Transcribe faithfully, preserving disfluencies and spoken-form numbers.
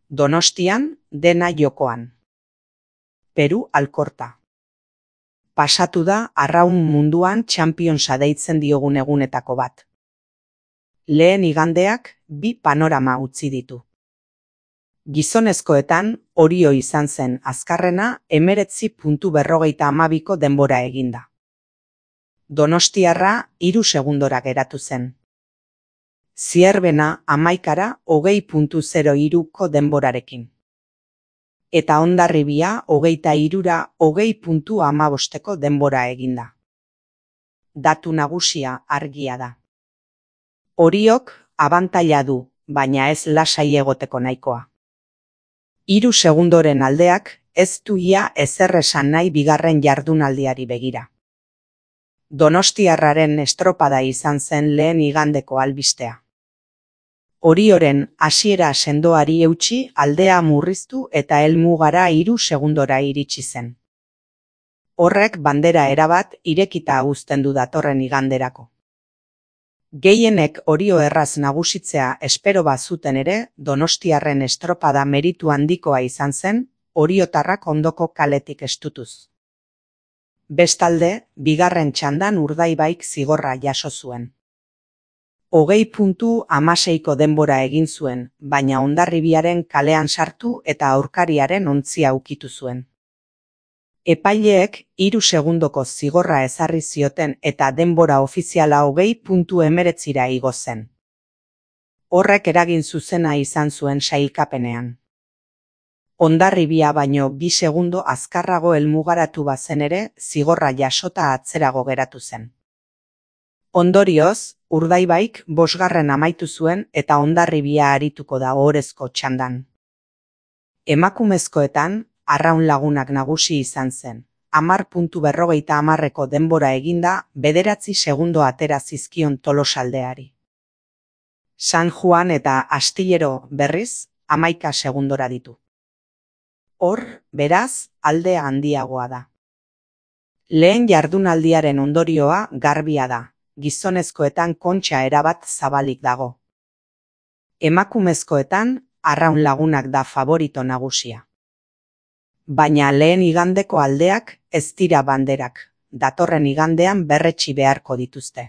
Donostian, dena jokoan. Peru Alkorta. Pasatu da arraun munduan Championsa deitzen diogun egunetako bat. Lehen igandeak bi panorama utzi ditu. Gizonezkoetan Orio izan zen azkarrena hemeretzi puntu berrogeita hamabiko denbora eginda. Donostiarra hiru segundora geratu zen. Zierbena hamaikara hogei puntu zero hiruko denborarekin. Eta Hondarribia hogeita hirura hogei puntu hamabosteko denbora eginda. Datu nagusia argia da. Oriok abantaila du, baina ez lasai egoteko nahikoa. Hiru segundoren aldeak ez du ia ezer esan nahi bigarren jardunaldiari begira. Donostiarraren estropada izan zen lehen igandeko albistea. Orioren hasiera sendoari eutsi aldea murriztu eta helmugara hiru segundora iritsi zen. Horrek bandera erabat irekita uzten du datorren iganderako. Gehienek Orio erraz nagusitzea espero bazuten ere, Donostiarren estropada meritu handikoa izan zen, oriotarrak ondoko kaletik estutuz. Bestalde, bigarren txandan Urdaibaik zigorra jaso zuen. Hogei puntu hamaseiko denbora egin zuen, baina Hondarribiaren kalean sartu eta aurkariaren ontzia ukitu zuen. Epaileek hiru segundoko zigorra ezarri zioten eta denbora ofiziala hogei puntu hemeretzira igo zen. Horrek eragin zuzena izan zuen sailkapenean. Hondarribia baino bi segundo azkarrago helmugaratu bazen ere, zigorra jasota atzerago geratu zen. Ondorioz, Urdaibaik bosgarren amaitu zuen eta Hondarribia arituko da ohorezko txandan. Emakumezkoetan, arraun lagunak nagusi izan zen. Hamar puntu berrogeita hamarreko denbora eginda, bederatzi segundo atera zizkion Tolosaldeari. San Juan eta Astillero berriz, hamaika segundora ditu. Hor, beraz, aldea handiagoa da. Lehen jardunaldiaren ondorioa garbia da. Gizonezkoetan kontxa erabat zabalik dago. Emakumezkoetan arraun lagunak da favorito nagusia. Baina lehen igandeko aldeak ez dira banderak, datorren igandean berretsi beharko dituzte.